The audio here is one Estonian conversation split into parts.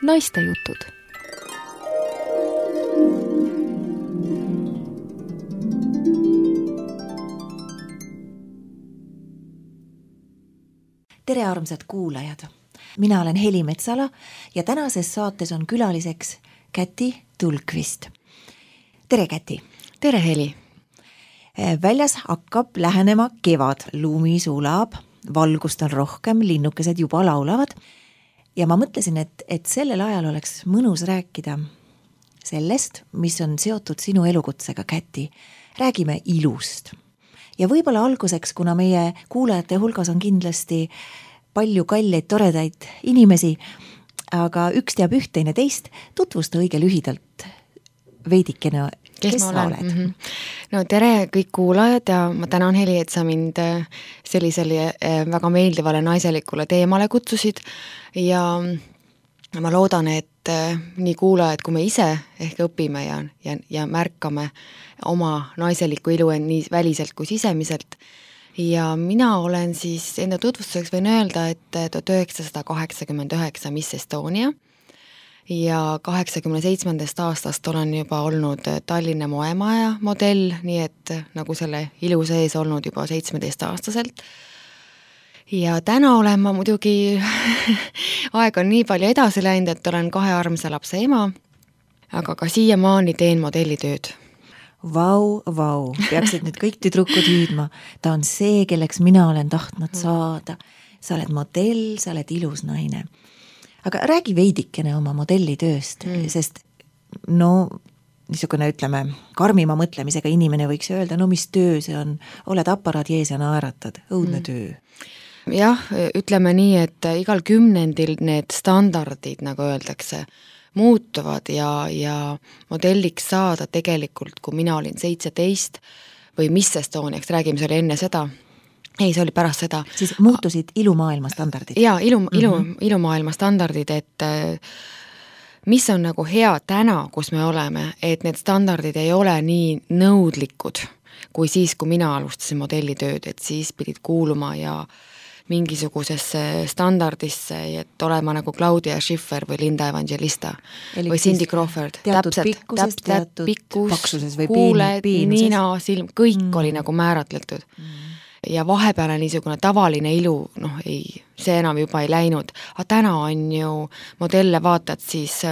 naiste jutud. Tere armsad kuulajad! Mina olen Heli Metsala ja tänases saates on külaliseks Käti Tulkvist. Tere Käti! Tere Heli! Väljas hakkab lähenema kevad, lumi sulab, valgust on rohkem, linnukesed juba laulavad ja ma mõtlesin, et sellel ajal oleks mõnus rääkida sellest, mis on seotud sinu elukutsega, Käti. Räägime ilust. Ja võib-olla alguseks, kuna meie kuulajate hulgas on kindlasti palju kalleid, toredaid inimesi, aga üks teab üht, teine teist, tutvusta õige lühidalt veidikene, kes sa oled? Mm-hmm. No tere kõik kuulajad ja ma tänan Heli, et sa mind sellisele väga meeldivale naiselikule teemale kutsusid ja ma loodan, et nii kuulajad kui me ise ehk õpime ja märkame oma naiselikku ilu nii väliselt kui sisemiselt. Ja mina olen siis enda tutvustuseks võin öelda, et 1989 Miss Estonia ja 87. aastast olen juba olnud Tallinna moemaja modell, nii et nagu selle ilu sees olnud juba 17-aastaselt. Ja täna olen ma muidugi, aeg on nii palju edasi läinud, et olen 2 armsa lapse ema, aga ka siiamaani teen modellitööd. Vau, peaksid nüüd kõik tüdrukud hüüdma. Ta on see, kelleks mina olen tahtnud saada. Sa oled modell, sa oled ilus naine. Aga räägi veidikene oma modellitööst, sest niisugune ütleme, karmima mõtlemisega inimene võiks öelda, mis töö see on, oled aparaadi ees ja naeratad, õudne töö. Jah, ütleme nii, et igal 10. need standardid, nagu öeldakse, muutuvad ja modelliks saada tegelikult, kui mina olin 17 või Miss Estoniaks, räägime, see oli enne seda. Ei, see oli pärast seda. Siis muutusid ilumaailma standardid? Jaa, ilumaailma standardid, et mis on nagu hea täna, kus me oleme, et need standardid ei ole nii nõudlikud, kui siis, kui mina alustasin modellitööd, et siis pidid kuuluma ja mingisugusesse standardisse, et olema nagu Claudia Schiffer või Linda Evangelista või Cindy Crawford. Teatud pikkuses, teatud paksuses või kuuled, nina, silm, kõik oli nagu määratletud. Ja vahepeale niisugune tavaline ilu, see enam juba ei läinud. Aga täna on ju modelle vaatad siis,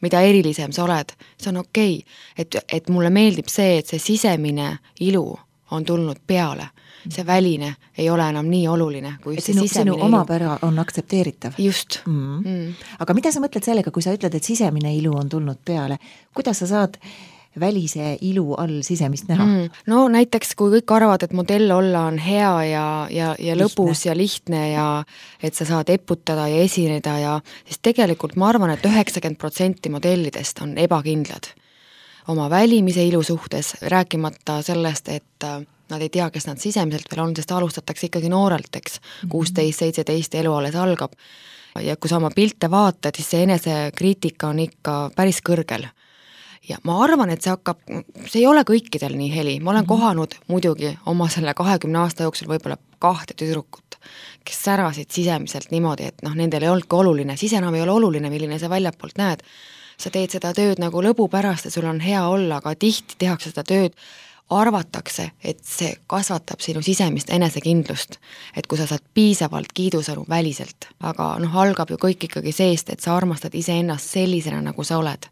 mida erilisem sa oled, see on okei. Et mulle meeldib see, et see sisemine ilu on tulnud peale. See väline ei ole enam nii oluline, kui see sisemine sinu omapära on aktsepteeritav. Just. Aga mida sa mõtled sellega, kui sa ütled, et sisemine ilu on tulnud peale? Kuidas sa saad välise ilu all sisemist näha? No näiteks, kui kõik arvad, et modell olla on hea ja lõbus ja lihtne ja et sa saad eputada ja esineda siis tegelikult ma arvan, et 90% modellidest on ebakindlad oma välimise ilu suhtes, rääkimata sellest, et nad ei tea, kes nad sisemiselt veel on, sest alustatakse ikkagi noorelt, eks, 16-17 elu alles algab. Ja kui sa oma pilte vaatad, siis see enesekriitika on ikka päris kõrgel. Ja ma arvan, et see ei ole kõikidel nii Heli. Ma olen kohanud muidugi oma selle 20 aasta jooksul võib-olla 2 tüdrukut, kes särasid sisemiselt niimoodi, et nendel ei olnudki oluline. Siis enam ei ole oluline, milline sa väljapoolt näed. Sa teed seda tööd nagu lõbu pärast ja sul on hea olla, aga tihti tehakse seda tööd arvatakse, et see kasvatab sinu sisemist enesekindlust, et kui sa saad piisavalt kiidusõnu väliselt, aga algab ju kõik ikkagi seest, et sa armastad iseennast sellisena, nagu sa oled.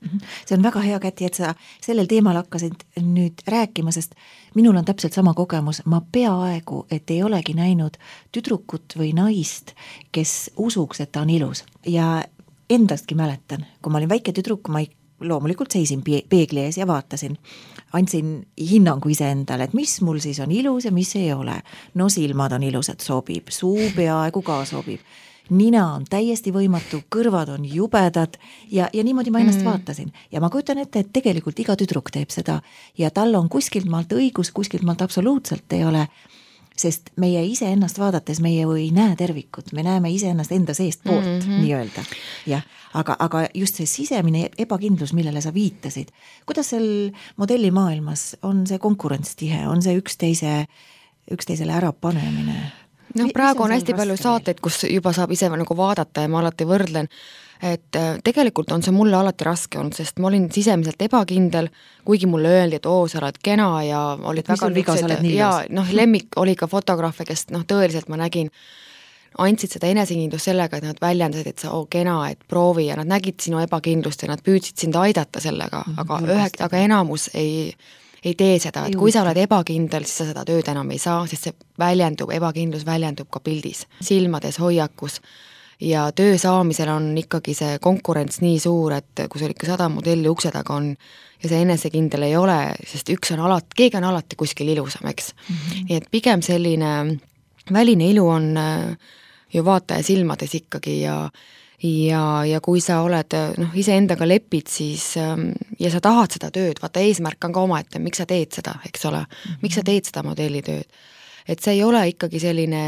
See on väga hea, Käti, et sa sellel teemal hakkasid nüüd rääkima, sest minul on täpselt sama kogemus. Ma peaaegu, et ei olegi näinud tüdrukut või naist, kes usuks, et ta on ilus. Ja endastki mäletan, kui ma olin väike tüdruk, ma loomulikult seisin peegli ees ja vaatasin. Andsin hinnangu iseendale, et mis mul siis on ilus ja mis ei ole. No silmad on ilusad, sobib, suu peaaegu ka sobib. Nina on täiesti võimatu, kõrvad on jubedad ja niimoodi ma ennast vaatasin. Ja ma kujutan ette, et tegelikult iga tüdruk teeb seda ja tal on kuskilt maalt õigus, kuskilt maalt absoluutselt ei ole. Sest meie ise ennast vaadates meie ei näe tervikut, me näeme ise ennast enda seest poolt, nii öelda. Ja, aga just see sisemine ebakindlus, millele sa viitasid, kuidas seal modellimaailmas on see konkurents tihe, on see üksteisele ära panemine? noh, praegu on hästi palju saateid, kus juba saab ise nagu vaadata ja ma alati võrdlen, et tegelikult on see mulle alati raske olnud, sest ma olin sisemiselt ebakindel, kuigi mulle öeldi, et sa oled kena ja olid väga niisugused ja noh, lemmik oli ka fotograafe, kes noh, tõeliselt ma nägin, andsid seda enesekindlust sellega, et nad väljendasid, et sa kena, et proovi ja nad nägid sinu ebakindlust ja nad püüdsid sind aidata sellega, aga enamus ei tee seda, et kui sa oled ebakindel, siis sa seda tööd enam ei saa, sest see ebakindlus väljendub ka pildis, silmades, hoiakus. Ja töö saamisel on ikkagi see konkurents nii suur, et kui sul ikka 100 modelli ukse taga on ja see enesekindel ei ole, sest keegi on alati kuskil ilusam, eks. Nii et pigem selline väline ilu on ju vaataja silmades ikkagi ja kui sa oled iseendaga lepid, siis ja sa tahad seda tööd, vaata eesmärk on ka omaette, miks sa teed seda, eks ole, miks sa teed seda modellitööd. Et see ei ole ikkagi selline,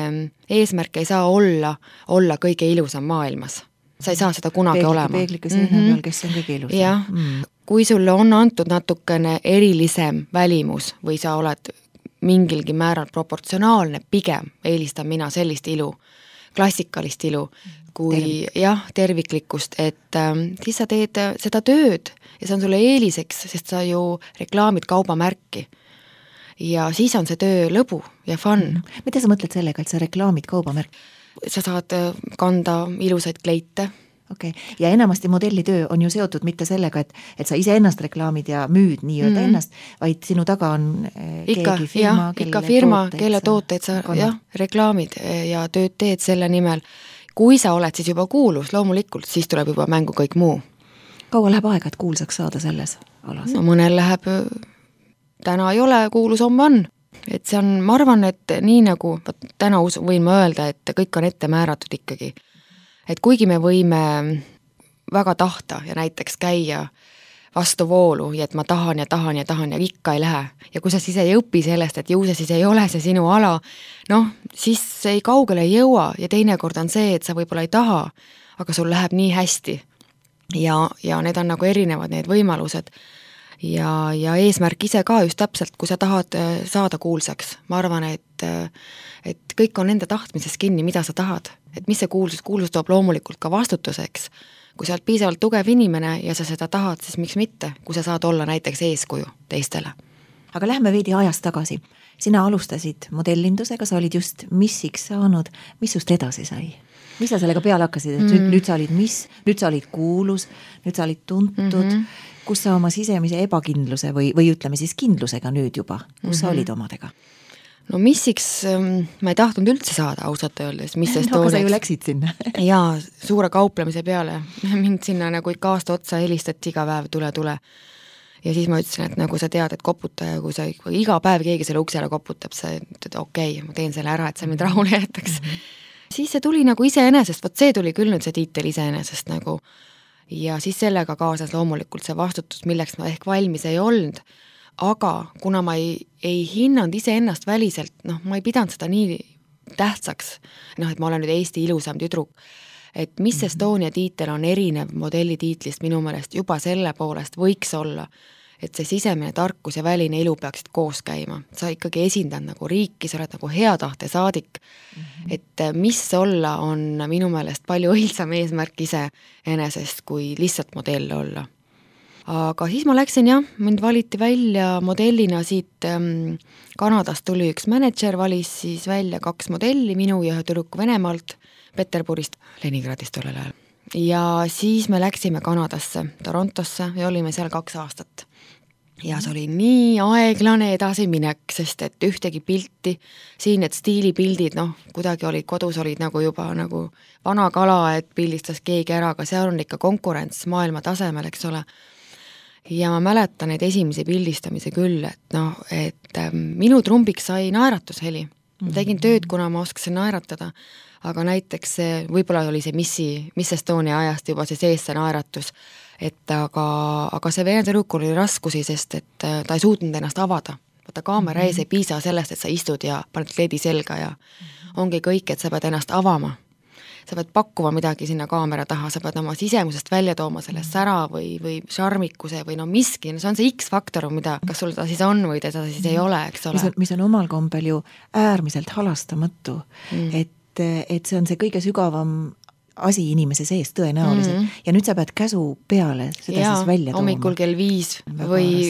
eesmärk ei saa olla kõige ilusam maailmas. Sa ei saa seda kunagi olema. Peeglike seina peal, kes on kõige ilusam. Jah, kui sulle on antud natukene erilisem välimus või sa oled mingilgi määral proportsionaalne, pigem eelistan mina sellist ilu, klassikalist ilu, kui terviklikkust, et siis sa teed seda tööd ja see on sulle eeliseks, sest sa ju reklaamid kaubamärki. Ja siis on see töö lõbu ja fun. Mida sa mõtled sellega, et sa reklaamid kaubamärk? Sa saad kanda ilusaid kleite. Okay. Ja enamasti modellitöö on ju seotud mitte sellega, et sa ise ennast reklaamid ja müüd nii-öelda ennast, vaid sinu taga on keegi firma, kelle tooteid sa reklaamid ja tööd teed selle nimel. Kui sa oled siis juba kuulus, loomulikult, siis tuleb juba mängu kõik muu. Kaua läheb aega, et kuulsaks saada selles alas? No mõnel läheb täna ei ole, kuulus homme on. Et see on, ma arvan, et nii nagu täna võin ma öelda, et kõik on ette määratud ikkagi. Et kuigi me võime väga tahta ja näiteks käia vastu voolu ja et ma tahan ja ikka ei lähe. Ja kui sa siis ei õpi sellest, et ju see siis ei ole see sinu ala, siis ei kaugele ei jõua ja teinekord on see, et sa võib-olla ei taha, aga sul läheb nii hästi. Ja need on nagu erinevad need võimalused. Ja eesmärk ise ka just täpselt, kui sa tahad saada kuulsaks. Ma arvan, et kõik on enda tahtmises kinni, mida sa tahad. Et mis see kuulsus toob loomulikult ka vastutuseks. Kui sa oled piisavalt tugev inimene ja sa seda tahad, siis miks mitte, kui sa saad olla näiteks eeskuju teistele. Aga lähme veidi ajas tagasi. Sina alustasid modellindusega, sa olid just missiks saanud. Mis sust edasi sai? Mis sa sellega peale hakkasid? Et nüüd sa olid nüüd sa olid kuulus, nüüd sa olid tuntud. Kus sa oma sisemise ebakindluse või ütleme siis kindlusega nüüd juba? Kus sa olid omadega? No missiks ma ei tahtnud üldse saada ausalt öeldes. Aga sa ju läksid sinna. Jaa, suure kauplemise peale. Mind sinna nagu ikka aasta otsa helistati iga päev tule. Ja siis ma ütlesin, et nagu sa tead, et koputa ja kui sa iga päev keegi selle uksele koputab, sa ütled, okei, ma teen selle ära, et sa mind rahule jätaks. Siis see tuli nagu iseenesest, see tuli küll nüüd see tiitel iseenesest nagu. Ja siis sellega kaasas loomulikult see vastutus, milleks ma ehk valmis ei olnud, aga kuna ma ei hinnanud iseennast väliselt, ma ei pidanud seda nii tähtsaks, et ma olen nüüd Eesti ilusam tüdruk, et mis Estonia tiitel on erinev modellitiitlist minu meelest juba selle poolest võiks olla, et see sisemine tarkus ja väline ilu peaksid koos käima. Sa ikkagi esindad nagu riiki, sa oled nagu hea tahte saadik, et mis olla on minu meelest palju õilsam eesmärk ise enesest, kui lihtsalt modell olla. Aga siis ma läksin mind valiti välja modellina siit Kanadast tuli üks manager, valis siis välja 2 modelli, minu ja ühe tüdruku Venemaalt, Peterburist, Leningradist tollel ajal. Ja siis me läksime Kanadasse, Torontosse ja olime seal 2 aastat. Ja see oli nii aeglane edasiminek, sest et ühtegi pilti, siin need stiilipildid, kuidagi olid kodus, olid nagu juba nagu vana kala, et pildistas keegi ära, aga seal on ikka konkurents maailma tasemel, eks ole. Ja ma mäletan neid esimesi pildistamise küll, et minu trumbiks sai naeratusheli. Ma tegin tööd, kuna ma oskasin naeratada, aga näiteks võib-olla oli see Miss Estonia ajast juba see sees see naeratus, et aga see Vene tüdrukul oli raskusi, sest et ta ei suutnud ennast avada. Vaata kaamera ees ei piisa sellest, et sa istud ja paned kleedi selga ja ongi kõik, et sa pead ennast avama. sa pead pakkuma midagi sinna kaamera taha, sa pead oma sisemusest välja tooma selle sära või šarmikuse või no miski, no see on see X-faktor, mida, kas sul ta siis on või teda siis ei ole, eks ole. Mis on omal kombel ju äärmiselt halastamatu, et see on see kõige sügavam asi inimese sees tõenäoliselt ja nüüd sa pead käsu peale seda siis välja tooma. Hommikul kell 5 või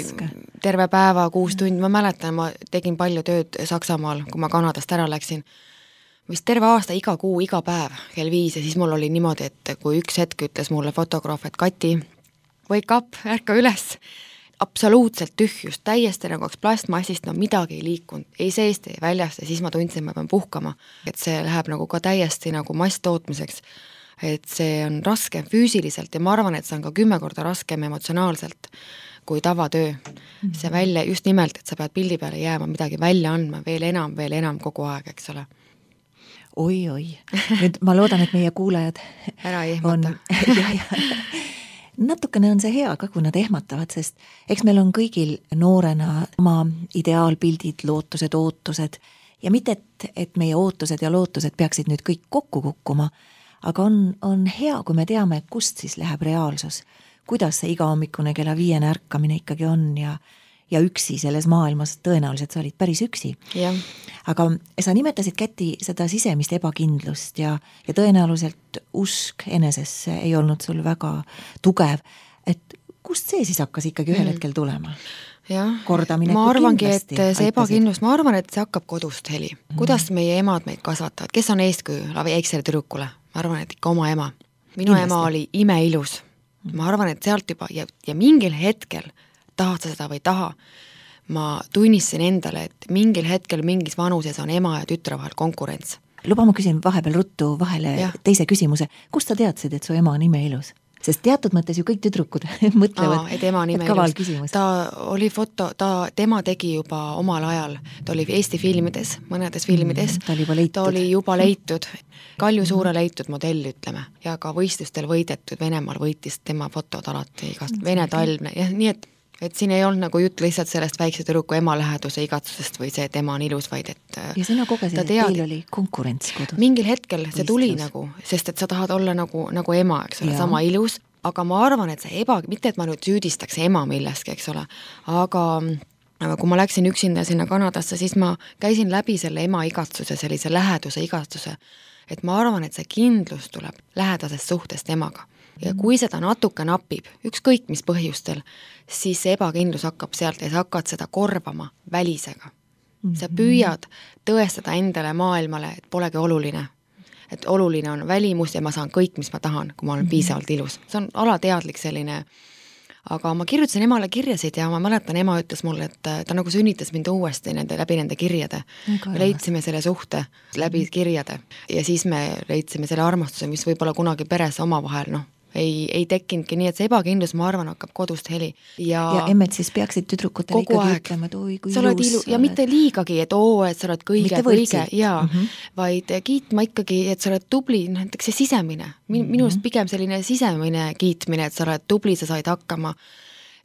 terve päeva 6 tundi, ma mäletan, ma tegin palju tööd Saksamaal, kui ma Kanadast ära läksin, vist terve aasta, iga kuu, iga päev kell 5 ja siis mul oli niimoodi, et kui üks hetk ütles mulle fotograaf, et Kati, wake up, ärka üles, absoluutselt tühjust, täiesti nagu plastmassist, no midagi ei liikunud, ei seest, ei väljast ja siis ma tundsin, ma pean puhkama, et see läheb nagu ka täiesti nagu masstootmiseks, et see on raske füüsiliselt ja ma arvan, et see on ka 10 korda raskem emotsionaalselt kui tavatöö. See välja just nimelt, et sa pead pildi peale jääma, midagi välja andma, veel enam kogu aeg, eks ole. Oi. Nüüd ma loodan, et meie kuulajad ära ehmata. Natukene on see hea ka, kui nad ehmatavad, sest eks meil on kõigil noorena oma ideaalpildid, lootused, ootused ja mitte, et meie ootused ja lootused peaksid nüüd kõik kokku kukkuma, aga on hea, kui me teame, kust siis läheb reaalsus, kuidas see iga hommikune kella 5 ärkamine ikkagi on ja üksi selles maailmas, tõenäoliselt sa olid päris üksi. Ja. Aga sa nimetasid, Käti, seda sisemist ebakindlust ja tõenäoliselt usk enesesse ei olnud sul väga tugev, et kust see siis hakkas ikkagi ühel hetkel tulema? Jah, Kordamineku ma arvangi, kindlasti et see ebakindlus, ma arvan, et see hakkab kodust heli. Kuidas meie emad meid kasvatavad, kes on eeskuju väiksele tüdrukule? Ma arvan, et ikka oma ema. Minu kindlasti. Ema oli imeilus. Ma arvan, et sealt juba ja mingil hetkel tahad sa seda või taha, ma tunnistasin endale, et mingil hetkel mingis vanuses on ema ja tütre vahel konkurents. Luba, ma küsin vahepeal ruttu vahele teise küsimuse. Kust sa teadsid, et su ema on imeilus? Sest teatud mõttes ju kõik tüdrukud mõtlevad, et kaval küsimus. Ta oli tema tegi juba omal ajal, ta oli Eesti filmides, mõnedes filmides, ta oli juba leitud, Kalju Suure leitud modell, ütleme, ja ka võistlustel võidetud, Venemaal võitis tema fotod alati igast Vene talvne, ja nii et siin ei olnud nagu jutt lihtsalt sellest väikse tüdruku ema läheduse igatsusest või see, et ema on ilus, vaid et ja sina kogesid, et teil oli konkurents kodus. Mingil hetkel see tuli nagu, sest et sa tahad olla nagu ema, eks ole, sama ilus, aga ma arvan, et see mitte, et ma nüüd süüdistaks ema milleski, eks ole, aga kui ma läksin üksinda sinna Kanadasse, siis ma käisin läbi selle ema igatsuse, sellise läheduse igatsuse, et ma arvan, et see kindlus tuleb lähedasest suhtest emaga. Ja kui seda natuke napib, ükskõik mis põhjustel, siis see ebakindlus hakkab sealt ja sa hakkad seda korvama välisega. Sa püüad tõestada endale maailmale, et polegi oluline. Et oluline on välimus ja ma saan kõik, mis ma tahan, kui ma olen piisavalt ilus. See on alateadlik selline, aga ma kirjutasin emale kirjasid ja ma mäletan, ema ütles mulle, et ta nagu sünnitas mind uuesti läbi nende kirjade. Me leidsime selle suhte läbi kirjade ja siis me leidsime selle armastuse, mis võib-olla kunagi peres omavahel, ei tekkinudki, nii et see ebakindlus, ma arvan, hakkab kodust heli. Ja emmed siis peaksid tüdrukutele ikkagi ütlema, et oi, kui ilus ja mitte liigagi, et et sa oled kõige, vaid kiitma ikkagi, et sa oled tubli, näiteks see sisemine. Minust pigem selline sisemine kiitmine, et sa oled tubli, sa said hakkama.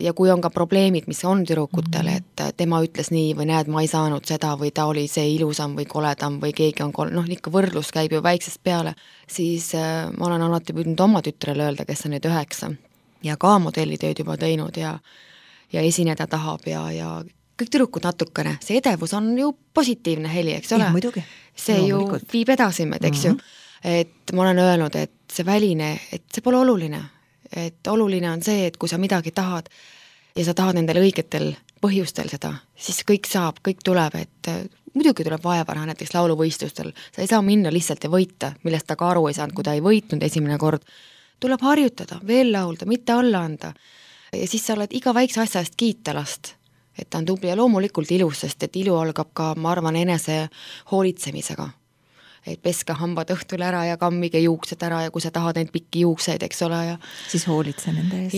Ja kui on ka probleemid, mis on tüdrukutele, et tema ütles nii või näed, ma ei saanud seda või ta oli see ilusam või koledam või keegi on ikka võrdlus käib ju väiksest peale, siis ma olen alati püüdnud oma tütrele öelda, kes on nüüd 9 ja ka modellitööd juba teinud ja esineda tahab ja kõik tüdrukud natukene, see edevus on ju positiivne heli, eks ole? See ju viib edasi meid, eks ju. Et ma olen öelnud, et see väline, et see pole oluline. Et oluline on see, et kui sa midagi tahad ja sa tahad nendel õigetel põhjustel seda, siis kõik saab, kõik tuleb, et muidugi tuleb vaeva näiteks lauluvõistlustel, sa ei saa minna lihtsalt ja võita, millest ta ka aru ei saanud, kui ta ei võitnud esimene kord, tuleb harjutada, veel laulda, mitte alla anda ja siis sa oled iga väikse asja eest kiita last, et ta on tubli ja loomulikult ilus, sest et ilu algab ka, ma arvan, enese hoolitsemisega. Et peske hambad õhtul ära ja kammige juuksed ära ja kui sa tahad neid pikki juukseid, eks ole. Ja siis hoolitse nende eest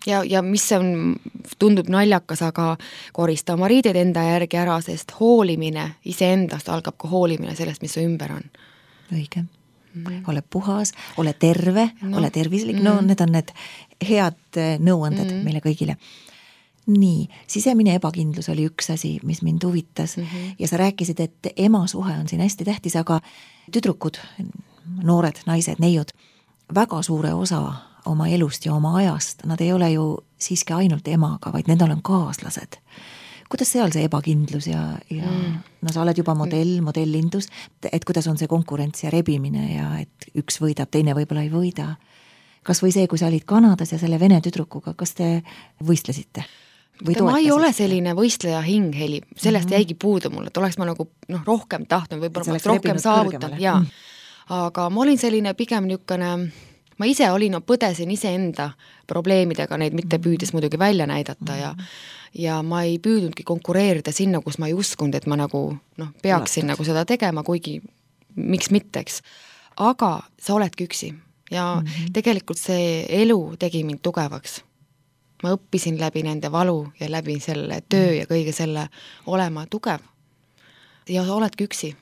ja mis on, tundub naljakas, aga korista oma riided enda järgi ära, sest hoolimine iseendast algab ka hoolimine sellest, mis su ümber on. Õige. Ole puhas, ole terve, ole tervislik, need on need head nõuanded meile kõigile. Nii, sisemine ebakindlus oli üks asi, mis mind huvitas ja sa rääkisid, et ema suhe on siin hästi tähtis, aga tüdrukud, noored naised, neiud, väga suure osa oma elust ja oma ajast, nad ei ole ju siiski ainult emaga, vaid nendel on kaaslased. Kuidas seal see ebakindlus ja no sa oled juba modellindus, et kuidas on see konkurents ja rebimine ja et üks võidab, teine võib-olla ei võida. Kas või see, kui sa olid Kanadas ja selle vene tüdrukuga, kas te võistlesite? Ma ei ole selline võistleja hing, Heli, sellest jäigi puudu mulle, et oleks ma nagu rohkem tahtnud, võib-olla ma rohkem saavutan, jaa. Aga ma olin selline pigem niisugune, ma ise olin, põdesin iseenda probleemidega, neid mitte püüdes muidugi välja näidata ja ma ei püüdnudki konkureerida sinna, kus ma ei uskunud, et ma nagu peaksin nagu seda tegema, kuigi miks mitteks. Aga sa oledki üksi ja tegelikult see elu tegi mind tugevaks. Ma õppisin läbi nende valu ja läbi selle töö ja kõige selle olema tugev. Ja sa oledki üksi.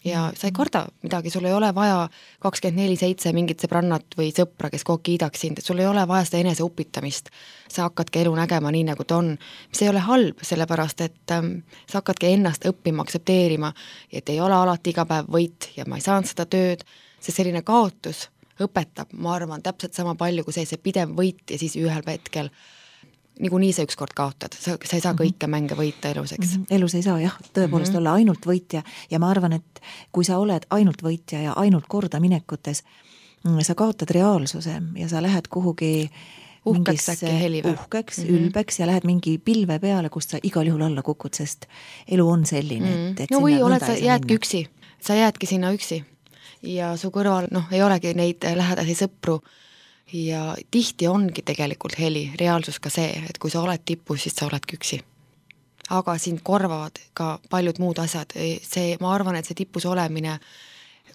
Ja sa ei karda midagi, sul ei ole vaja 24/7 mingit sõbrannat või sõpra, kes kogu kiidaks sind, et sul ei ole vaja seda enese upitamist. Sa hakkadki elu nägema nii, nagu ta on. Mis ei ole halb, sellepärast, et sa hakkadki ennast õppima, aksepteerima, et ei ole alati iga päev võit ja ma ei saanud seda tööd. See selline kaotus õpetab, ma arvan, täpselt sama palju, kui see pidev võit ja siis ühel hetkel niikuinii sa ükskord kaotad, sa ei saa kõike mänge võita eluseks. Elus ei saa jah, tõepoolest olla ainult võitja ja ma arvan, et kui sa oled ainult võitja ja ainult korda minekutes, sa kaotad reaalsuse ja sa lähed kuhugi uhkeks äkki helive. Uhkeks, ülbeks ja lähed mingi pilve peale, kust sa igal juhul alla kukud, sest elu on selline, et no või oled sa jäädki üksi, sa jäädki sinna üksi ja su kõrval ei olegi neid lähedasi sõpru. Ja tihti ongi tegelikult heli, reaalsus ka see, et kui sa oled tipus, siis sa oledki üksi. Aga sind korvavad ka paljud muud asjad. Ma arvan, et see tipus olemine,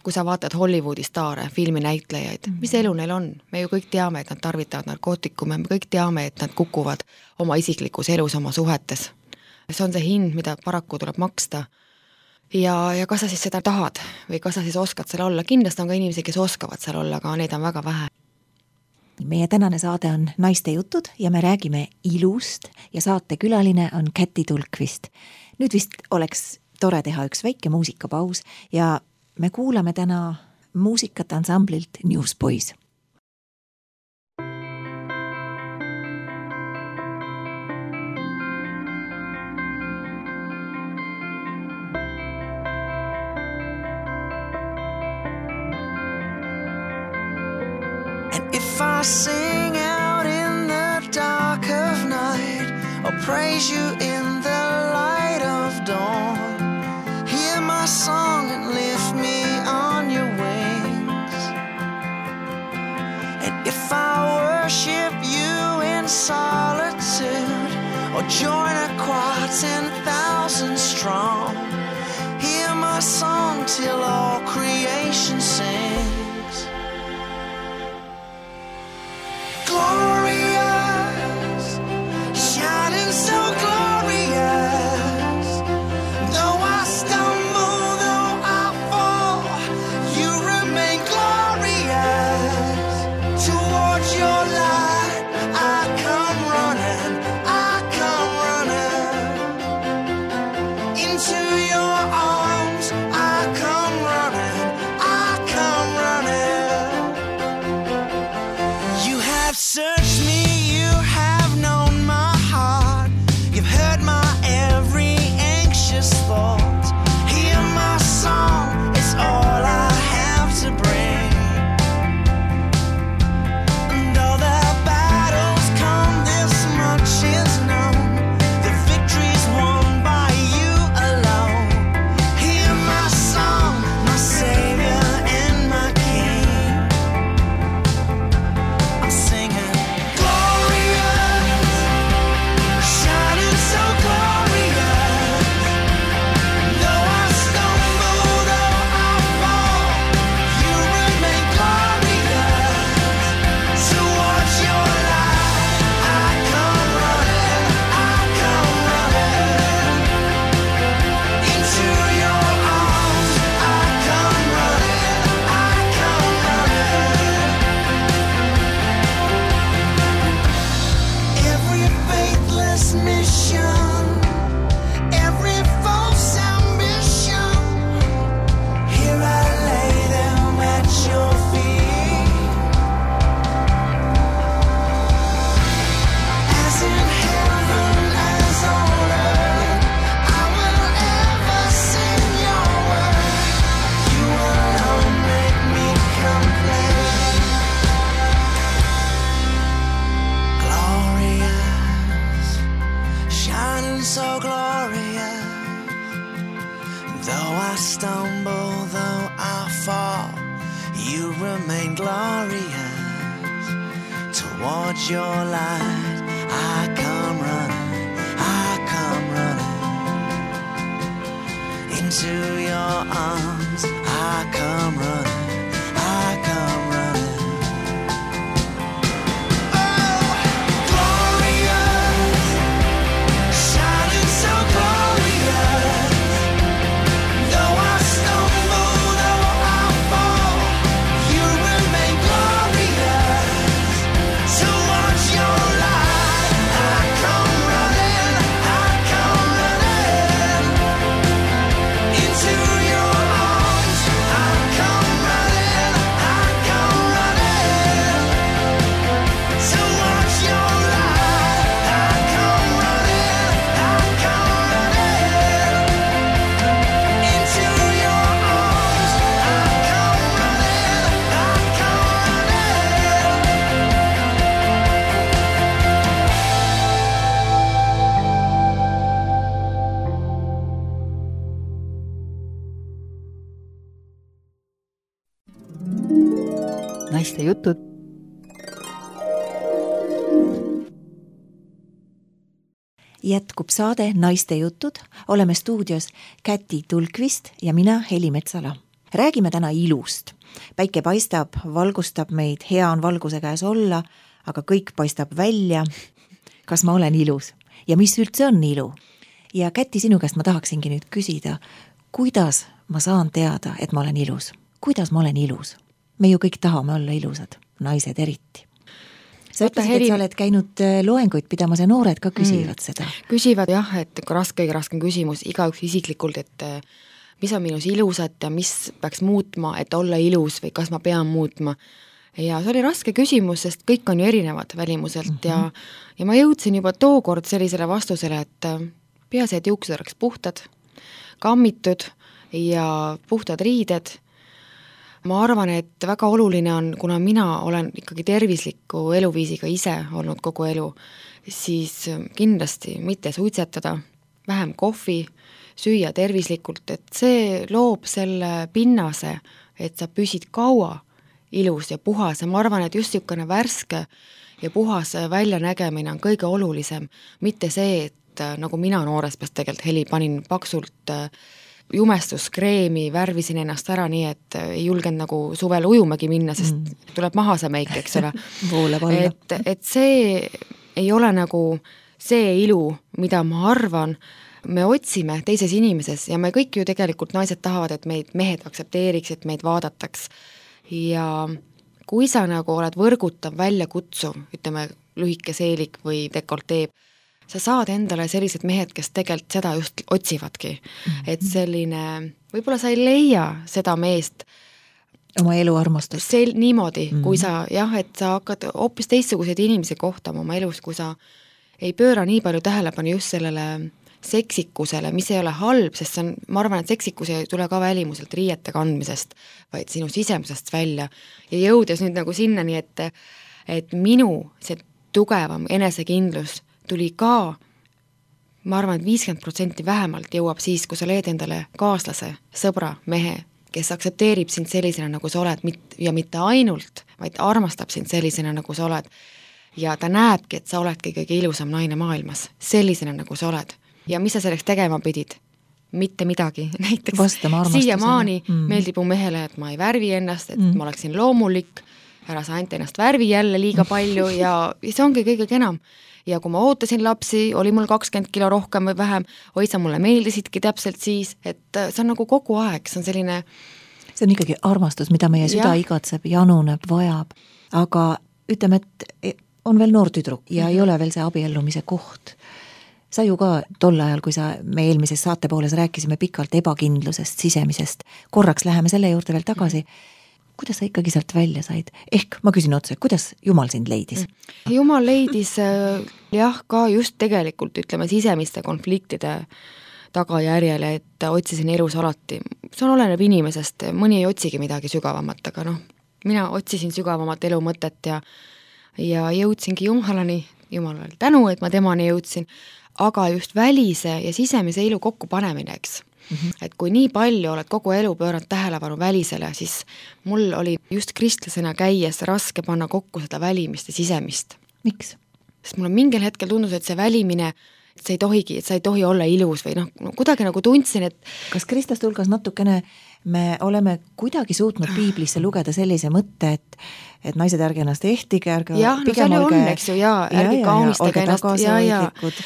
kui sa vaatad Hollywoodi staare, filminäitlejaid, mis elu neil on? Me ju kõik teame, et nad tarvitavad narkootikume, me kõik teame, et nad kukuvad oma isiklikus elus, oma suhetes. See on see hind, mida paraku tuleb maksta. Ja kas sa siis seda tahad või kas sa siis oskad seal olla? Kindlasti on ka inimesi, kes oskavad seal olla, aga neid on väga vähe. Meie tänane saade on Naiste jutud ja me räägime ilust ja saate külaline on Käti Tulkvist. Nüüd vist oleks tore teha üks väike muusikapaus ja me kuulame täna muusikat ansamblilt Newsboys. If I sing out in the dark of night or praise you in the light of dawn, hear my song and lift me on your wings. And if I worship you in solitude or join a choir 10,000 strong, hear my song till all creation sings. Glorious, shining so glorious. Though I stumble, though I fall, you remain glorious. Towards your light, I come running, into your arms, I come Though I stumble, though I fall, you remain glorious. Towards your light I come running into your arms. I come running, I come running. Oh, glorious, shining so glorious. Though I stumble, though I fall, you remain glorious. Towards your light I come running, I come running into your arms. I come running, I come running towards your light. I come running, I come running into your arms. I come running, I come naiste jutud. Jätkub saade Naiste jutud, oleme stuudios Käti Tulkvist ja mina Heli Metsala. Räägime täna ilust. Päike paistab, valgustab meid, hea on valguse käes olla, aga kõik paistab välja. Kas ma olen ilus? Ja mis üldse on ilu? Ja Käti, sinu käest ma tahaksingi nüüd küsida, kuidas ma saan teada, et ma olen ilus? Kuidas ma olen ilus? Me ju kõik tahame olla ilusad, naised eriti. Sa ütlesid, et sa oled käinud loenguid pidamas ja noored ka küsivad seda. Küsivad jah, et kõige raskem küsimus igaüks isiklikult, et mis on minus ilusat ja mis peaks muutma, et olla ilus või kas ma pean muutma. Ja see oli raske küsimus, sest kõik on ju erinevad välimuselt ja ma jõudsin juba tookord sellisele vastusele, et peaasi, et juuksed oleks puhtad, kammitud ja puhtad riided. Ma arvan, et väga oluline on, kuna mina olen ikkagi tervisliku eluviisiga ise olnud kogu elu, siis kindlasti mitte suitsetada, vähem kohvi, süüa tervislikult, et see loob selle pinnase, et sa püsid kaua ilus ja puhas ja ma arvan, et just niisugune värske ja puhas väljanägemine on kõige olulisem, mitte see, et nagu mina noores peast tegelikult Heli panin paksult jumestuskreemi, värvisin ennast ära nii, et ei julgenud nagu suvel ujumagi minna, sest tuleb maha see meik, eks ole. et see ei ole nagu see ilu, mida ma arvan, me otsime teises inimeses ja me kõik ju tegelikult naised tahavad, et meid mehed aktsepteeriks, et meid vaadataks ja kui sa nagu oled võrgutav, väljakutsuv, ütleme lühike seelik või dekolteeb, sa saad endale sellised mehed, kes tegelikult seda just otsivadki. Et selline, võib-olla sa ei leia seda meest oma elu armastust. Niimoodi, kui sa, jah, et sa hakkad hoopis teistsuguseid inimesi kohtama oma elus, kui sa ei pööra nii palju tähelepanu just sellele seksikusele, mis ei ole halb, sest see on, ma arvan, et seksikus ei tule ka välimuselt riiete kandmisest, vaid sinu sisemusest välja. Ja jõudes nüüd nagu sinnani, et minu see tugevam enesekindlus tuli ka, ma arvan, et 50% vähemalt jõuab siis, kui sa leed endale kaaslase, sõbra, mehe, kes aktsepteerib sind sellisena, nagu sa oled ja mitte ainult, vaid armastab sind sellisena, nagu sa oled. Ja ta näebki, et sa oledki kõige ilusam naine maailmas, sellisena, nagu sa oled. Ja mis sa selleks tegema pidid? Mitte midagi. Näiteks siiamaani meeldib mu mehele, et ma ei värvi ennast, et ma oleksin loomulik, ära sa ainult ennast värvi jälle liiga palju ja see ongi kõige enam. Ja kui ma ootasin lapsi, oli mul 20 kilo rohkem või vähem, sa mulle meeldisidki täpselt siis, et see on nagu kogu aeg, see on selline... See on ikkagi armastus, mida meie süda igatseb, januneb, vajab, aga ütleme, et on veel noor tüdruk ja ei ole veel see abiellumise koht. Sa ju ka tol ajal, kui me eelmises saate pooles rääkisime pikalt ebakindlusest, sisemisest, korraks läheme selle juurde veel tagasi. Kuidas sa ikkagi sealt välja said? Ehk ma küsin otse, kuidas Jumal sind leidis? Jumal leidis jah, ka just tegelikult ütleme sisemiste konfliktide tagajärjele, et otsisin elus alati. See oleneb inimesest, mõni ei otsigi midagi sügavamat, aga mina otsisin sügavamat elu mõtet ja jõudsingi Jumalani, Jumalale tänu, et ma temani jõudsin, aga just välise ja sisemise elu kokku panemine, eks. Et kui nii palju oled kogu elu pööranud tähelepanu välisele, siis mul oli just kristlasena käies raske panna kokku seda välimist ja sisemist. Miks? Sest mul on mingil hetkel tundus, et see välimine, et sa ei tohi olla ilus või kuidagi nagu tundsin, et kas kristlaste hulgas natukene me oleme kuidagi suutnud piiblisse lugeda sellise mõtte, et naised ärge ennast ehtige, ärge jah, no seal on, eks ju, ärge kaunistage ennast,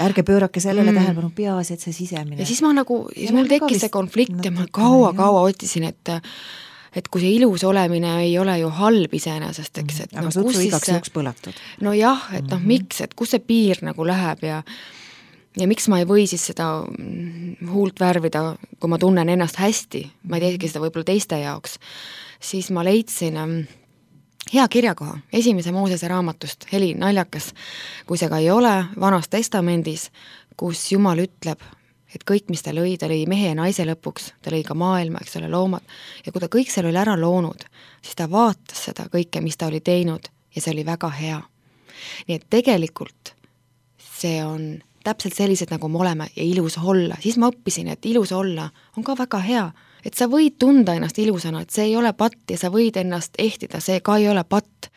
ärge pöörake sellele tähelepanu, peaasi, et see sisemine. Ja siis mul tekkis see konflikt ja ma kaua otsisin, et kui see ilus olemine ei ole ju halb iseenesest, eks, et aga sutsu igaks juhuks põlatud. No jah, et miks, et kus see piir nagu läheb ja miks ma ei või siis seda huult värvida, kui ma tunnen ennast hästi, ma ei teegi seda võib-olla teiste jaoks, siis ma leidsin hea kirjakoha, 1. Moosese raamatust, Heli, naljakas, kui see ka ei ole, Vanas Testamendis, kus Jumal ütleb, et kõik, mis ta lõi mehe ja naise lõpuks, ta lõi ka maailma, eks ole, loomad, ja kui ta kõik seal oli ära loonud, siis ta vaatas seda kõike, mis ta oli teinud ja see oli väga hea. Nii et tegelikult see on täpselt sellised, nagu me oleme ja ilus olla. Siis ma õppisin, et ilus olla on ka väga hea. Et sa võid tunda ennast ilusana, et see ei ole patt ja sa võid ennast ehtida, see ka ei ole patt,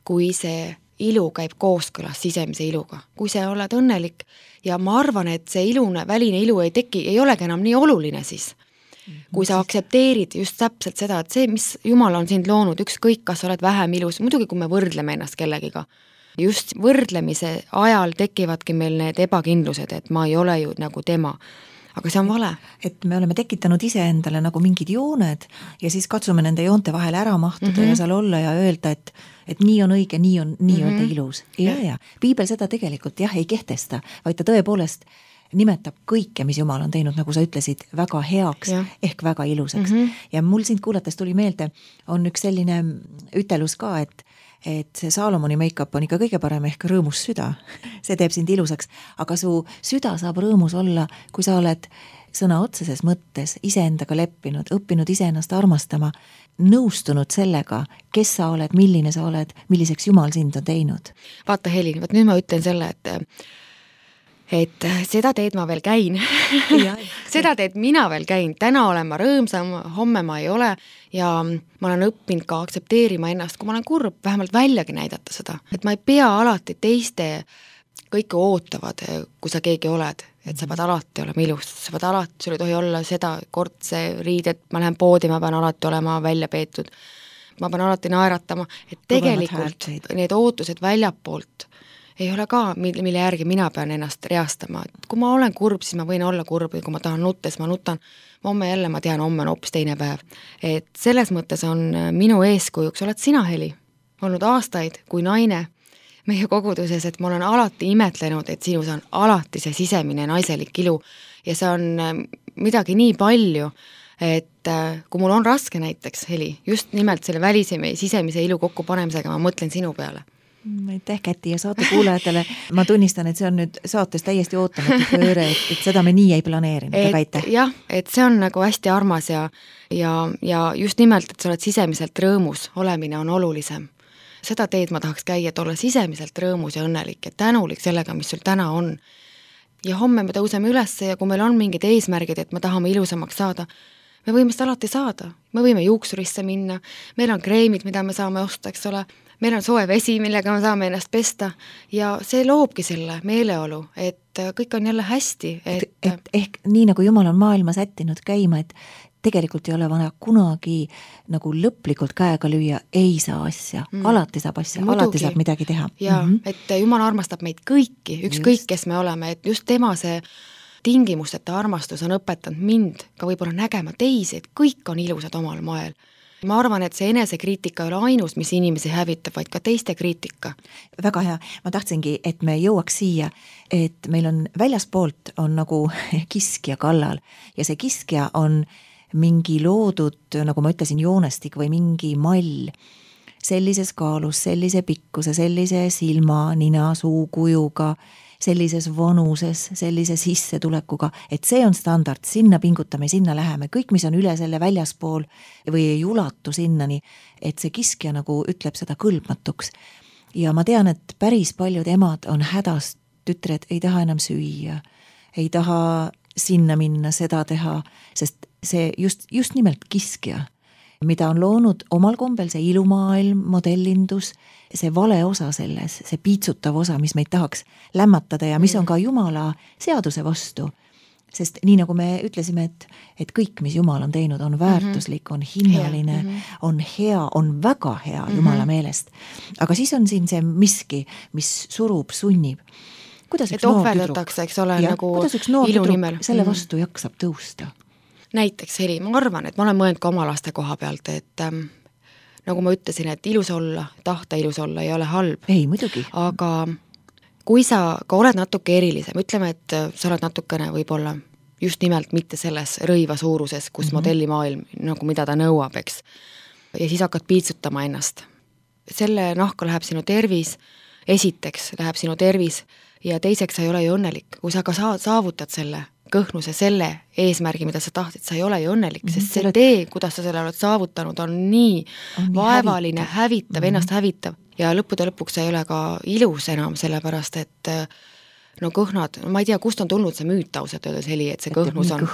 kui see ilu käib kooskõlas sisemise iluga. Kui sa oled õnnelik ja ma arvan, et see ilune, väline ilu ei olegi enam nii oluline siis. Kui sa aktsepteerid just täpselt seda, et see, mis Jumal on sind loonud, ükskõik, kas oled vähem ilus, muidugi kui me võrdleme ennast kellegiga, just võrdlemise ajal tekivadki meil need ebakindlused, et ma ei ole ju nagu tema. Aga see on vale. Et me oleme tekitanud iseendale nagu mingid jooned ja siis katsume nende joonte vahele ära mahtuda ja seal olla ja öelda, et nii on õige, nii on öelda ilus. Ja. Piibel seda tegelikult ei kehtesta, vaid ta tõepoolest nimetab kõike, mis Jumal on teinud, nagu sa ütlesid, väga heaks ehk väga ilusaks. Ja mul sind kuulates tuli meelde, on üks selline ütelus ka, et see Saalomoni make-up on ikka kõige parem ehk rõõmus süda. See teeb sind ilusaks, aga su süda saab rõõmus olla, kui sa oled sõna otseses mõttes iseendaga leppinud, õppinud iseennast armastama, nõustunud sellega, kes sa oled, milline sa oled, milliseks Jumal sind on teinud. Vaata Heli, nüüd ma ütlen selle, et seda teed ma veel käin. Seda teed mina veel käin. Täna olen ma rõõmsam, homme ma ei ole ja ma olen õppinud ka aktsepteerima ennast, kui ma olen kurb, vähemalt väljagi näidata seda. Et ma ei pea alati teiste kõike ootavad, kui sa keegi oled, et sa pead alati olema ilus, sa pead alati, sul ei tohi olla seda kordse riidet, ma lähen poodi, ma pean alati olema välja peetud, ma pean alati naeratama, et tegelikult need ootused väljapoolt ei ole ka, mille järgi mina pean ennast reastama. Et kui ma olen kurb, siis ma võin olla kurb ja kui ma tahan nutta, siis ma nutan. Homme jälle ma tean, homme on hoopis teine päev. Et selles mõttes on minu eeskujuks, oled sina, Heli, olnud aastaid kui naine meie koguduses, et ma olen alati imetlenud, et sinus on alati see sisemine naiselik ilu ja see on midagi nii palju, et kui mul on raske näiteks, Heli, just nimelt selle väliseme ja sisemise ilu kokku panemisega, ma mõtlen sinu peale. Aitäh, Käti, ja saate kuulajatele. Ma tunnistan, et see on nüüd saates täiesti ootamatu pööre, et seda me nii ei planeerinud, aga aitäh. Jah, et see on nagu hästi armas ja just nimelt, et sa oled sisemiselt rõõmus, olemine on olulisem. Seda teed ma tahaks käia, et olla sisemiselt rõõmus ja õnnelik ja tänulik sellega, mis sul täna on. Ja homme me tõuseme üles ja kui meil on mingid eesmärgid, et me tahame ilusamaks saada, me võime seda alati saada. Me võime juuksurisse minna, meil on kreemid, mida me saame osta, eks ole, meil on soe vesi, millega me saame ennast pesta ja see loobki selle meeleolu, et kõik on jälle hästi. Et ehk nii nagu Jumal on maailma sättinud käima, et tegelikult ei ole vaja kunagi nagu lõplikult käega lüüa, ei saa asja, alati saab asja, alati saab midagi teha. Ja, et Jumal armastab meid kõiki, ükskõik kes me oleme, et just tema see tingimusteta armastus on õpetanud mind ka võib-olla nägema teisi, et kõik on ilusad omal moel. Ma arvan, et see enesekriitika ei ole ainus, mis inimesi hävitab, vaid ka teiste kriitika. Väga hea. Ma tahtsingi, et me jõuaks siia, et meil on väljaspoolt on nagu kiskja kallal ja see kiskja on mingi loodud, nagu ma ütlesin, joonestik või mingi mall sellises kaalus, sellise pikkuse, sellise silma, nina, suu kujuga, sellises vanuses, sellise sissetulekuga, et see on standard, sinna pingutame, sinna läheme, kõik, mis on üle selle väljaspool või ei ulatu sinnani, et see kiskja nagu ütleb seda kõlbmatuks. Ja ma tean, et päris paljud emad on hädas, tütred ei taha enam süüa, ei taha sinna minna, seda teha, sest see just nimelt kiskja, mida on loonud omal kombel see ilumaailm, modellindus, see vale osa selles, see piitsutav osa, mis meid tahaks lämmatada ja mis on ka Jumala seaduse vastu. Sest nii nagu me ütlesime, et kõik, mis Jumal on teinud, on väärtuslik, on hinnaline, on hea, on väga hea Jumala meelest. Aga siis on siin see miski, mis surub, sunnib. Kuidas üks noor tüdruk, kuidas üks noor tüdruk selle vastu jaksab tõusta? Näiteks Heli, ma arvan, et ma olen mõelnud ka oma laste koha pealt, et nagu ma ütlesin, et ilus olla, tahta ilus olla ei ole halb. Ei, muidugi. Aga kui sa ka oled natuke erilisem, ütleme, et sa oled natukene võib-olla just nimelt mitte selles rõiva suuruses, kus modellimaailm, nagu mida ta nõuab, eks. Ja siis hakkad piitsutama ennast. Selle nahka läheb sinu tervis, esiteks läheb sinu tervis ja teiseks sa ei ole ju õnnelik. Kui sa ka saavutad selle kõhnuse, selle eesmärgi, mida sa tahtsid, sa ei ole ju õnnelik, sest see tee, kuidas sa selle oled saavutanud, on nii vaevaline, hävitav, ennast hävitav ja lõppude lõpuks ei ole ka ilus enam, sellepärast et no kõhnad, ma ei tea, kust on tulnud see müüt ausalt öeldes Heli, et see kõhnus on,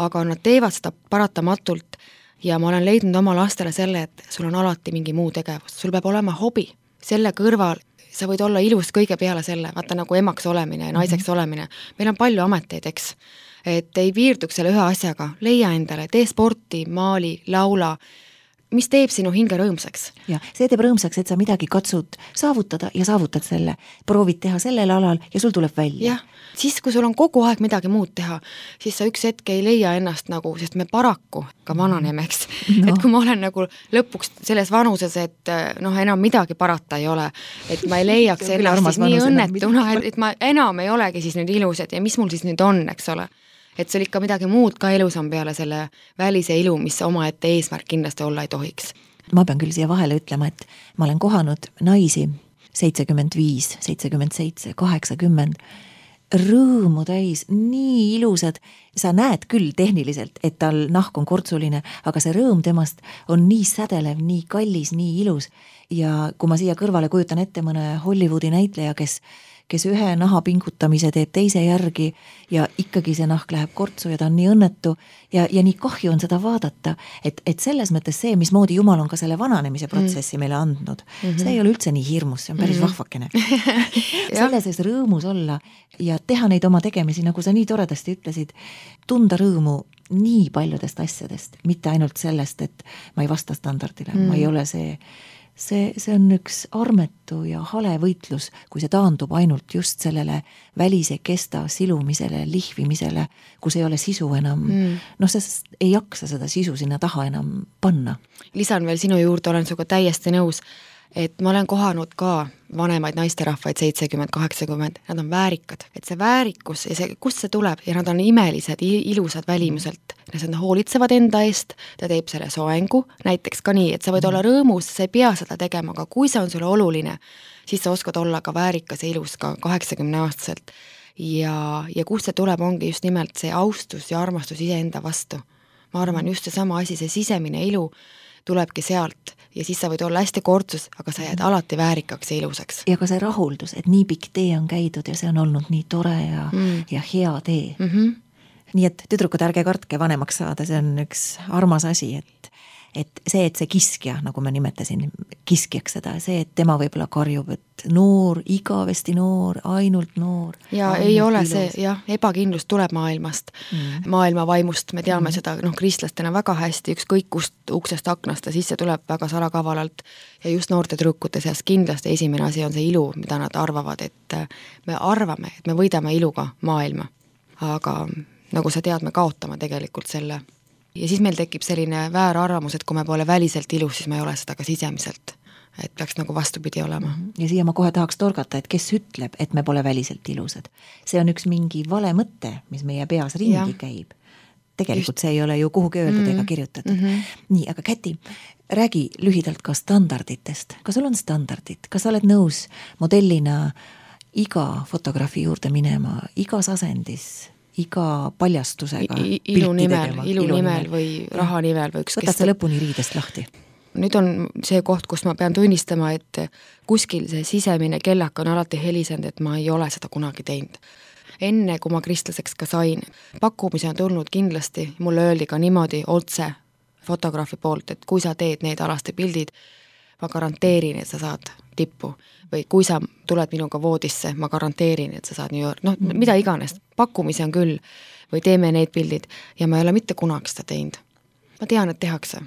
aga nad teevad seda paratamatult ja ma olen leidnud oma lastele selle, et sul on alati mingi muu tegevus, sul peab olema hobi, selle kõrval sa võid olla ilus kõige peale selle, vaata nagu emaks olemine ja naiseks olemine. Meil on palju ameteid, eks. Et ei piirduks selle ühe asjaga. Leia endale, tee sporti, maali, laula. Mis teeb sinu hinge rõõmsaks? Ja, see teeb rõõmsaks, et sa midagi katsud saavutada ja saavutad selle. Proovid teha sellel alal ja sul tuleb välja. Jah, siis kui sul on kogu aeg midagi muud teha, siis sa üks hetk ei leia ennast nagu, sest me paraku ka vananeme, eks. No. Et kui ma olen nagu lõpuks selles vanuses, et enam midagi parata ei ole, et ma ei leiaks ennast siis nii õnnetuna, et ma enam ei olegi siis nüüd ilusad ja mis mul siis nüüd on, eks ole. Et sul ikka midagi muud ka elus on peale selle välise ilu, mis oma ette eesmärk kindlasti olla ei tohiks. Ma pean küll siia vahele ütlema, et ma olen kohanud naisi 75, 77, 80, rõõmu täis, nii ilusad. Sa näed küll tehniliselt, et tal nahk on kortsuline, aga see rõõm temast on nii sädelev, nii kallis, nii ilus. Ja kui ma siia kõrvale kujutan ette mõne Hollywoodi näitleja, kes ühe naha pingutamise teeb teise järgi ja ikkagi see nahk läheb kortsu ja ta on nii õnnetu ja nii kahju on seda vaadata, et selles mõttes see, mismoodi Jumal on ka selle vananemise protsessi meile andnud, see ei ole üldse nii hirmus, see on päris vahvakene. Selle sees rõõmus olla ja teha neid oma tegemisi, nagu sa nii toredasti ütlesid, tunda rõõmu nii paljudest asjadest, mitte ainult sellest, et ma ei vasta standardile, ma ei ole see on üks armetu ja hale võitlus, kui see taandub ainult just sellele välise kesta silumisele, lihvimisele, kus ei ole sisu enam. Sest ei jaksa seda sisu sinna taha enam panna. Lisan veel sinu juurde, olen suga täiesti nõus, et ma olen kohanud ka vanemaid naisterahvaid 70-80, nad on väärikad, et see väärikus ja see, kust see tuleb ja nad on imelised, ilusad välimuselt, nad hoolitsevad enda eest, ta teeb selle soengu, näiteks ka nii, et sa võid olla rõõmus, sa ei pea seda tegema, aga kui see on sulle oluline, siis sa oskad olla ka väärikas ja ilus ka 80-aastaselt ja kust see tuleb, ongi just nimelt see austus ja armastus iseenda vastu. Ma arvan, just see sama asi, see sisemine ilu tulebki sealt ja siis sa võid olla hästi kortsus, aga sa jääd alati väärikaks ja ilusaks. Ja ka see rahuldus, et nii pikk tee on käidud ja see on olnud nii tore ja hea tee. Nii et tüdrukud, ärge kartke vanemaks saada, see on üks armas asi, et see kiskja, nagu ma nimetasin, kiskjaks seda, see, et tema võibolla karjub, et noor, igavesti noor, ainult noor. Ja ei ole ilus. See, ebakindlus tuleb maailmast, maailma vaimust, me teame seda kristlastena väga hästi, ükskõik kust uksest aknast ja sisse tuleb väga salakavalalt ja just noorte tüdrukute seas kindlasti esimene asi on see ilu, mida nad arvavad, et me arvame, et me võidame iluga maailma, aga nagu sa tead, me kaotame tegelikult selle. Ja siis meil tekib selline väärarvamus, et kui me pole väliselt ilus, siis me ei ole seda ka sisemiselt. Et peaks nagu vastupidi olema. Ja siia ma kohe tahaks torgata, et kes ütleb, et me pole väliselt ilusad. See on üks mingi vale mõte, mis meie peas ringi käib. Tegelikult see ei ole ju kuhugi öeldud ega kirjutatud. Nii, aga Käti, räägi lühidalt ka standarditest. Kas sul on standardid? Kas sa oled nõus modellina iga fotograafi juurde minema, igas asendis, iga paljastusega ilu nimel või raha nimel või ükskõik. Võtad sa lõpuni riidest lahti? Nüüd on see koht, kus ma pean tunnistama, et kuskil see sisemine kellak on alati helisenud, et ma ei ole seda kunagi teinud. enne kui ma kristlaseks ka sain. Pakkumisi on tulnud kindlasti, mulle öeldi ka niimoodi otse fotograafi poolt, et kui sa teed need Alaste pildid, ma garanteerin, et sa saad tippu. Või kui sa tuled minuga voodisse, ma garanteerin, et sa saad New York, mida iganes, pakkumisi on küll, või teeme need pildid ja ma ei ole mitte kunagi seda teinud. Ma tean, et tehakse.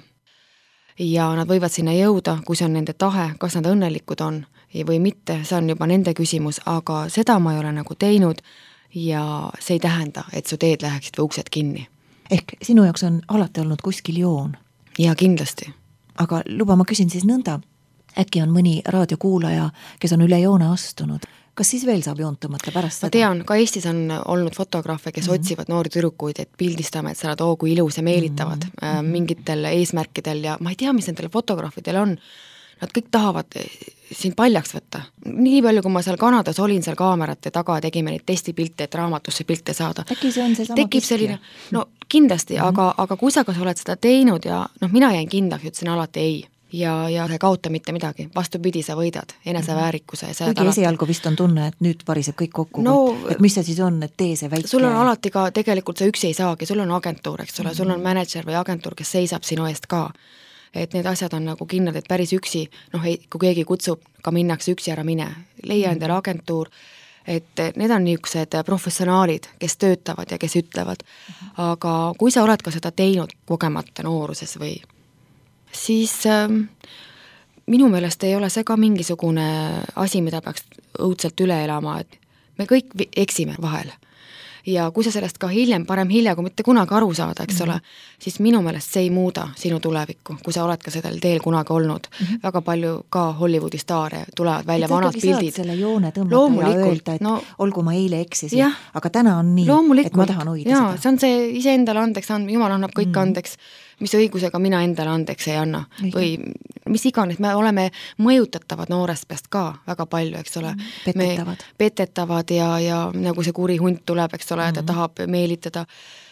Ja nad võivad sinna jõuda, kui see on nende tahe, kas nad õnnelikud on või mitte, see on juba nende küsimus, aga seda ma ei ole nagu teinud ja see ei tähenda, et su teed läheksid või uksed kinni. Ehk sinu jaoks on alati olnud kuskil joon? Ja kindlasti. Aga luba, ma küsin siis nõnda, äkki on mõni raadiokuulaja, kes on üle joone astunud, kas siis veel saab joont tõmmata pärast seda? Ma tean, ka Eestis on olnud fotograafe, kes otsivad noori tüdrukuid, et pildistame, et sa oled kui ilus ja meelitavad mingitel eesmärkidel ja ma ei tea, mis nendel fotograafidel on. Nad kõik tahavad siin paljaks võtta. Nii palju, kui ma seal Kanadas olin seal kaamerate taga, tegime neid testipilte, et raamatusse pilte saada. Äkki see on see sama tekib selline, no kindlasti, aga kui sa kas oled seda teinud ja mina jäin kindlaks, ütlesin alati ei. Ja ei kaota mitte midagi, vastupidi, sa võidad eneseväärikuse. Kuigi esialgu vist on tunne, et nüüd pariseb kõik kokku, et mis see siis on, et tee see väike. Sul on alati ka, tegelikult sa üksi ei saagi, sul on agentuur, eks ole, sul on manager või agentuur, kes seisab sinu eest ka. Et need asjad on nagu kindlad, et päris üksi, kui keegi kutsub, ka minnakse üksi ära mine. Leia endale agentuur, et need on niisugused professionaalid, kes töötavad ja kes ütlevad. Aga kui sa oled ka seda teinud kogemata nooruses või siis minu meelest ei ole see ka mingisugune asi, mida peaks õudselt üle elama, et me kõik eksime vahel. Ja kui sa sellest ka parem hilja, kui mitte kunagi aru saada, eks ole, siis minu meelest see ei muuda sinu tulevikku, kui sa oled ka sellel teel kunagi olnud. Väga palju ka Hollywoodi staare tulevad välja vanad pildid. Saad selle joone tõmmata ja öelda, et olgu ma eile eksisin, aga täna on nii, et ma tahan hoida seda. See on see iseendale andeks, Jumal annab kõik andeks, mis õigusega mina endale andeks ei anna. Või mis iganes, me oleme mõjutatavad noorest peast ka väga palju, eks ole. Petetavad ja nagu see kuri hunt tuleb, eks ole, ta tahab meelitada.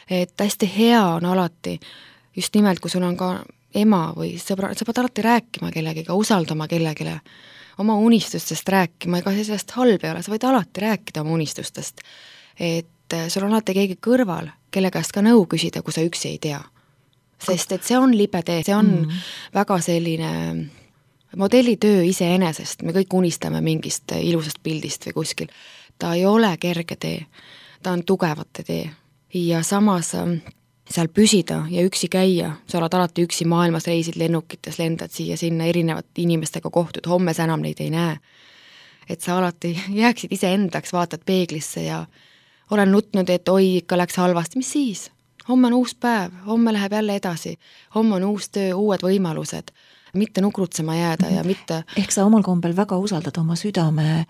Et hästi hea on alati, just nimelt, kui sul on ka ema või sõbra, sa pead alati rääkima kellegiga, usaldama kellegile, oma unistustest rääkima, ega sellest halb ei ole, sa võid alati rääkida oma unistustest. Et sul on alati keegi kõrval, kelle käest ka nõu küsida, kui sa üksi ei tea. Sest et see on libe tee, see on väga selline modellitöö iseenesest, me kõik unistame mingist ilusast pildist või kuskil. Ta ei ole kerge tee, ta on tugevate tee ja samas seal püsida ja üksi käia, sa oled alati üksi maailmas, reisid lennukites, lendad siia sinna erinevat inimestega kohtud, homme sa enam neid ei näe. Et sa alati jääksid iseendaks, vaatad peeglisse ja olen nutnud, et oi, ikka läks halvasti, mis siis? Homme on uus päev, homme läheb jälle edasi, homme on uus töö, uued võimalused, mitte nukrutsema jääda ja mitte... Ehk sa omal kombel väga usaldad oma südame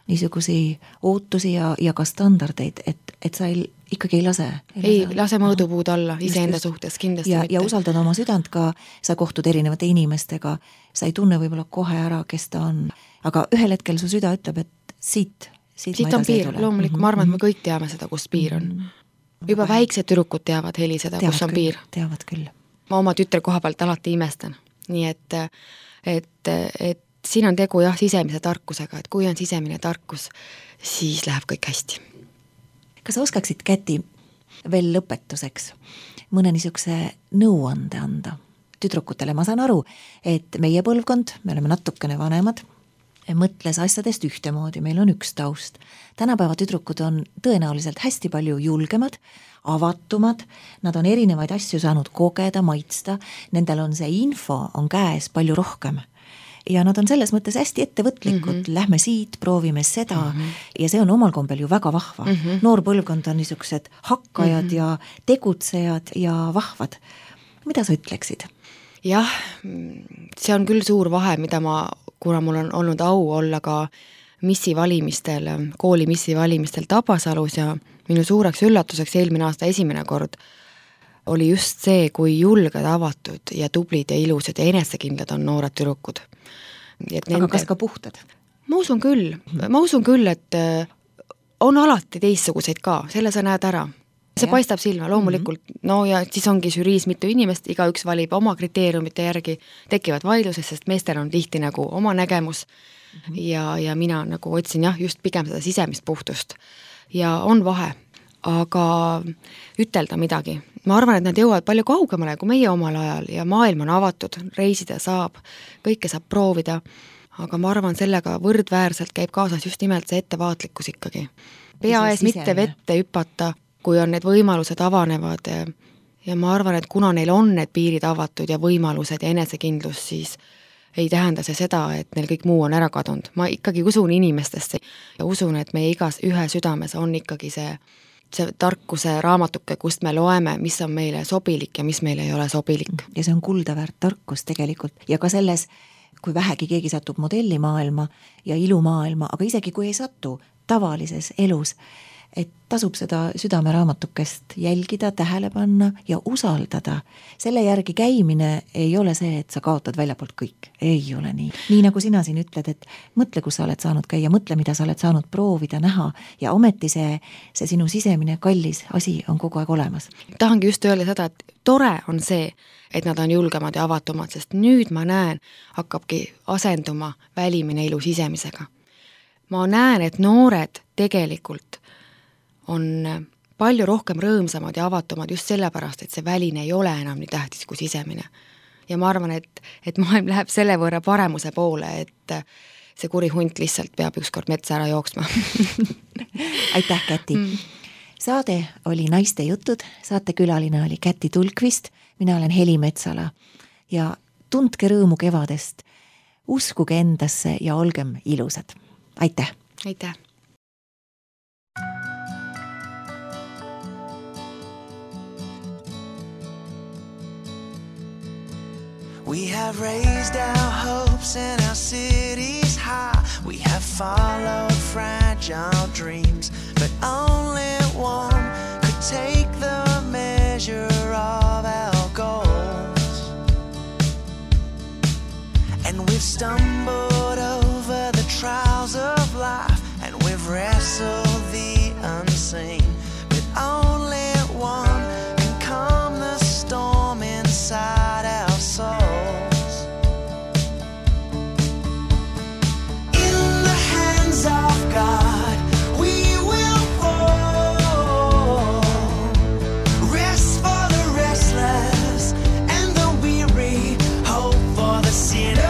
niisugusi ootusi ja ka standardeid, et sa ikkagi ei lase. Ei lase mõõdupuud alla iseenda suhtes kindlasti mitte. Ja usaldad oma südant ka, sa kohtud erinevate inimestega, sa ei tunne võib-olla kohe ära, kes ta on, aga ühel hetkel su süda ütleb, et siit on piir, loomulikult, ma arvan, et me kõik teame seda, kus piir on. Juba väiksed tüdrukud teavad heli seda, kus on piir. Teavad küll. Ma oma tütre koha pealt alati imestan. Nii et siin on tegu sisemise tarkusega, et kui on sisemine tarkus, siis läheb kõik hästi. Kas sa oskaksid, Käti, veel lõpetuseks mõne niisuguse nõuande anda tüdrukutele? Ma saan aru, et meie põlvkond, me oleme natukene vanemad, mõtles asjadest ühtemoodi, meil on üks taust. Tänapäeva tüdrukud on tõenäoliselt hästi palju julgemad, avatumad, nad on erinevaid asju saanud kogeda, maitsta, nendel on see info on käes palju rohkem. Ja nad on selles mõttes hästi ettevõtlikud, lähme siit, proovime seda ja see on omal kombel ju väga vahva. Noor põlvkond on niisugused hakkajad ja tegutsejad ja vahvad. Mida sa ütleksid? Jah, see on küll suur vahe, mida kuna mul on olnud au olla ka missivalimistel, kooli missivalimistel Tabasalus ja minu suureks üllatuseks eelmine aasta esimene kord oli just see, kui julged, avatud ja tublid ja ilusad ja enesekindlad on noored tüdrukud. Aga kas ka puhtad? Ma usun küll, et on alati teistsuguseid ka, selle sa näed ära. See paistab silma, loomulikult, no ja siis ongi žüriis mitu inimest, igaüks valib oma kriteeriumite järgi, tekivad vaidluses, sest meestel on tihti nagu oma nägemus ja mina nagu otsin just pigem seda sisemist puhtust. ja on vahe, aga ütelda midagi. Ma arvan, et nad jõuavad palju kaugemale kui meie omal ajal ja maailm on avatud, reisida saab, kõike saab proovida, aga ma arvan, sellega võrdväärselt käib kaasas just nimelt see ettevaatlikkus ikkagi. Pea ees mitte vette hüpata, kui on need võimalused avanevad ja ma arvan, et kuna neil on need piirid avatud ja võimalused ja enesekindlus, siis ei tähenda see seda, et neil kõik muu on ära kadunud. Ma ikkagi usun inimestesse ja usun, et meie igas ühe südames on ikkagi see tarkuse raamatuke, kust me loeme, mis on meile sobilik ja mis meile ei ole sobilik. Ja see on kuldaväärt tarkus tegelikult ja ka selles, kui vähegi keegi satub modellimaailma ja ilumaailma, aga isegi kui ei satu tavalises elus, et tasub seda südameraamatukest jälgida, tähele panna ja usaldada. Selle järgi käimine ei ole see, et sa kaotad väljapoolt kõik. Ei ole nii. Nii nagu sina siin ütled, et mõtle, kus sa oled saanud käia, mõtle, mida sa oled saanud proovida, näha ja ometi see sinu sisemine kallis asi on kogu aeg olemas. Tahangi just öelda seda, et tore on see, et nad on julgemad ja avatumad, sest nüüd ma näen, hakkabki asenduma välimine ilu sisemisega. Ma näen, et noored tegelikult on palju rohkem rõõmsamad ja avatumad just sellepärast, et see väline ei ole enam nii tähtis kui sisemine. Ja ma arvan, et maailm läheb selle võrra paremuse poole, et see kuri hunt lihtsalt peab ükskord metsa ära jooksma. Aitäh, Käti! Saade oli Naiste jutud, saatekülaline oli Käti Tulkvist, mina olen Heli Metsala ja tundke rõõmu kevadest, uskuge endasse ja olgem ilusad. Aitäh! Aitäh! We have raised our hopes and our cities high. We have followed fragile dreams, but only one could take the measure of our goals. And we've stumbled over the trials of life, and we've wrestled the unseen, but only one can calm the storm inside our souls. Of God, we will fall. Rest for the restless and the weary, hope for the sinner.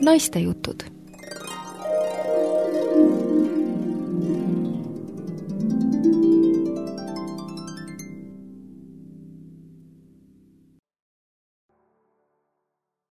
naiste jutud